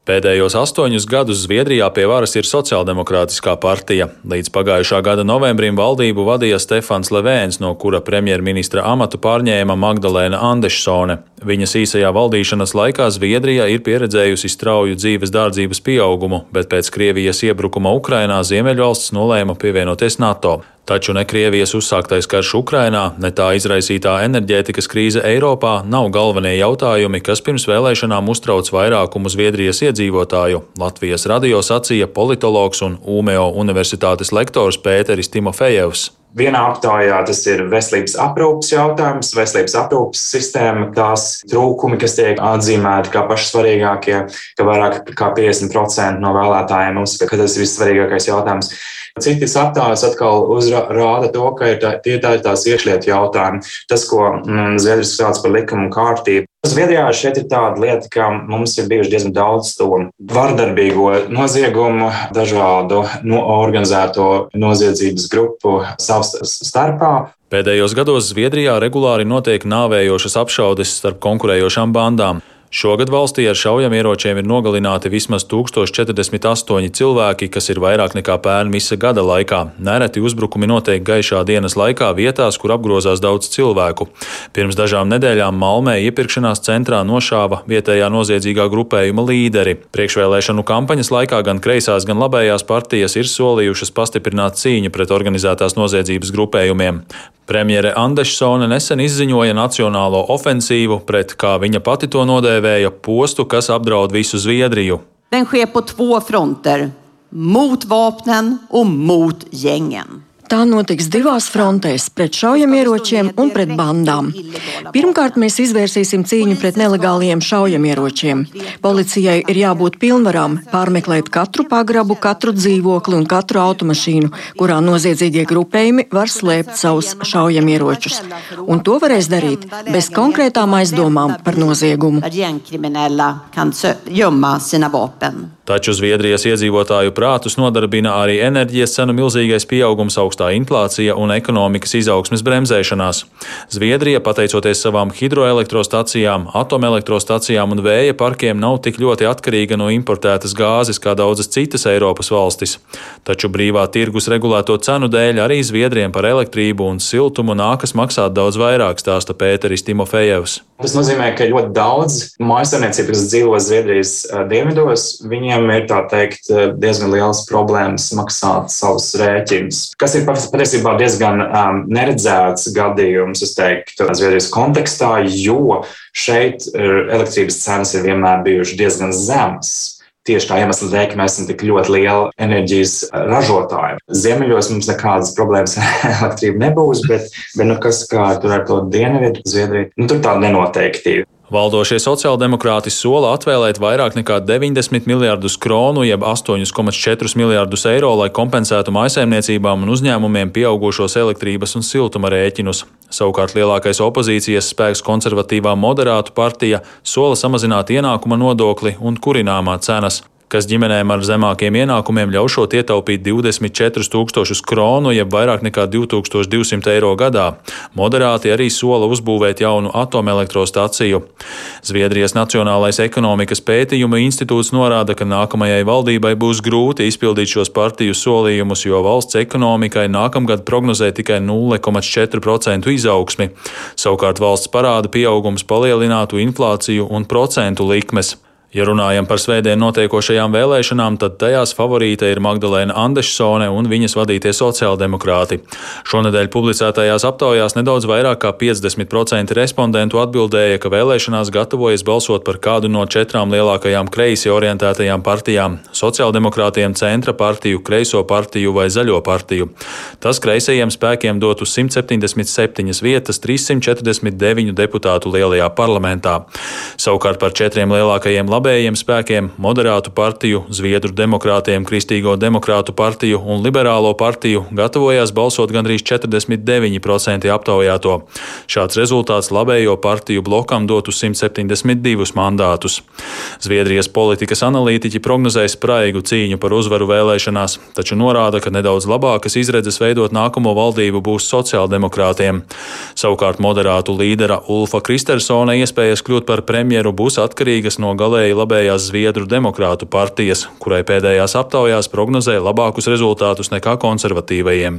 Pēdējos 8 gadus Zviedrijā pie varas ir Sociāldemokrātiskā partija. Līdz pagājušā gada novembrim valdību vadīja Stefans Levēns, no kura premjerministra amatu pārņēma Magdalēna Andešsone. Viņas īsajā valdīšanas laikā Zviedrija ir pieredzējusi strauju dzīves dārdzības pieaugumu, bet pēc Krievijas iebrukuma Ukrainā Ziemeļvalsts nolēma pievienoties NATO. Taču ne Krievijas uzsāktais karš Ukrainā, ne tā izraisītā enerģētikas krīze Eiropā nav galvenie jautājumi, kas pirms vēlēšanām uztrauc vairākumu Zviedrijas iedzīvotāju. Latvijas radio sacīja politologs un Ūmeo universitātes lektors Pēteris Timofejevs. Vienā aptaujā tas ir veselības aprūpes jautājums, veselības aprūpes sistēma, tās trūkumi, kas tiek atzīmēti kā paši svarīgākie, ka vairāk kā 50% no vēlētājiem uzskata, ka tas ir vissvarīgākais jautājums. Citas aptaujas atkal rāda to, ka tie ir tās iekšlietu jautājumi. Tas, ko Zviedrijas sauc par likumu kārtību. Zviedrijā šeit ir tāda lieta, ka mums ir bijuši diezgan daudz to vardarbīgo noziegumu, dažādu organizēto noziedzības grupu savs starpā. Pēdējos gados Zviedrijā regulāri notiek nāvējošas apšaudes starp konkurējošām bandām. Šogad valstī ar šaujamieročiem ir nogalināti vismaz 1048 cilvēki, kas ir vairāk nekā pērn visa gada laikā. Nereti uzbrukumi notiek gaišā dienas laikā vietās, kur apgrozās daudz cilvēku. Pirms dažām nedēļām Malmē iepirkšanās centrā nošāva vietējā noziedzīgā grupējuma līderi. Priekšvēlēšanu kampaņas laikā gan kreisās, gan labējās partijas ir solījušas pastiprināt cīņu pret organizētās noziedzības grupējumiem. Premjere Andešsone nesen izziņoja nacionālo ofensīvu pret, kā viņa pati to nodēvēja, postu, kas apdraud visu Zviedriju. Den sker på 2 fronter, mot vapnen un mot gjengen. Tā notiks 2 frontēs - pret šaujamieročiem un pret bandām. Pirmkārt, mēs izvērsīsim cīņu pret nelegāliem šaujamieročiem. Policijai ir jābūt pilnvarām pārmeklēt katru pagrabu, katru dzīvokli un katru automašīnu, kurā noziedzīgie grupējumi var slēpt savus šaujamieročus. Un to varēs darīt bez konkrētām aizdomām par noziegumu. Taču Zviedrijas iedzīvotāju prātus nodarbina arī enerģijas cenu milzīgais pieaugums, augstā inflācija un ekonomikas izaugsmes bremzēšanās. Zviedrija, pateicoties savām hidroelektrostacijām, atomelektrostacijām un vēja parkiem, nav tik ļoti atkarīga no importētas gāzes kā daudzas citas Eiropas valstis. Taču brīvā tirgus regulēto cenu dēļ arī Zviedriem par elektrību un siltumu nākas maksāt daudz vairāk, stāsta Pēteris Timofejevs. Tas nozīmē, ka ļoti daudz mājsaimniecību, kas dzīvo Zviedrijas dienvidos, viņiem ir tā teikt diezgan liels problēmas maksāt savus rēķinus, kas ir patiesībā diezgan neredzēts gadījums, es teiktu, Zviedrijas kontekstā, jo šeit elektrības cenas ir vienmēr bijušas diezgan zemas. Tieši tā iemesla dēļ, ka mēs esam tik ļoti lieli enerģijas ražotāji. Ziemeļos mums nekādas problēmas ar elektrību nebūs, bet kas kā tur ar to dienvidu Zviedriju, tur tāda nenoteiktība. Valdošie sociāldemokrāti sola atvēlēt vairāk nekā 90 miljardus kronu, jeb 8,4 miljardus eiro, lai kompensētu mājsaimniecībām un uzņēmumiem pieaugušos elektrības un siltuma rēķinus. Savukārt lielākais opozīcijas spēks konservatīvā Moderātu partija sola samazināt ienākuma nodokli un kurināmā cenas, kas ģimenēm ar zemākiem ienākumiem ļaušot ietaupīt 24 000 kronu, jeb vairāk nekā 2200 eiro gadā. Moderāti arī sola uzbūvēt jaunu atomelektrostaciju. Zviedrijas Nacionālais ekonomikas pētījumu institūts norāda, ka nākamajai valdībai būs grūti izpildīt šos partiju solījumus, jo valsts ekonomikai nākamgad prognozē tikai 0,4% izaugsmi. Savukārt valsts parāda pieaugums palielinātu inflāciju un procentu likmes. Ja runājam par svētdien notiekošajām vēlēšanām, tad tajās favorīte ir Magdalēna Andešsone un viņas vadītie sociāldemokrāti. Šonedēļ publicētajās aptaujās nedaudz vairāk kā 50% respondentu atbildēja, ka vēlēšanās gatavojas balsot par kādu no 4 lielākajām kreisi orientētajām partijām - sociāldemokrātiem, centra partiju, kreiso partiju vai zaļo partiju. Tas kreisajiem spēkiem dotu 177 vietas 349 deputātu lielajā parlamentā. Savukārt par 4 lielākajiem labējiem spēkiem, Moderātu partiju, Zviedru demokrātiem, Kristīgo demokrātu partiju un Liberālo partiju gatavojās balsot gandrīz 49% aptaujāto. Šāds rezultāts labējo partiju blokam dotu 172 mandātus. Zviedrijas politikas analītiķi prognozē spraigu cīņu par uzvaru vēlēšanās, taču norāda, ka nedaudz labākas izredzes veidot nākamo valdību būs sociāldemokrātiem. Savukārt Moderātu līdera Ulfa Kristersona iespējas kļūt par premjeru būs atkarīgas no galēji pārstāvēja labējās Zviedru demokrātu partijas, kurai pēdējās aptaujās prognozēja labākus rezultātus nekā konservatīvajiem.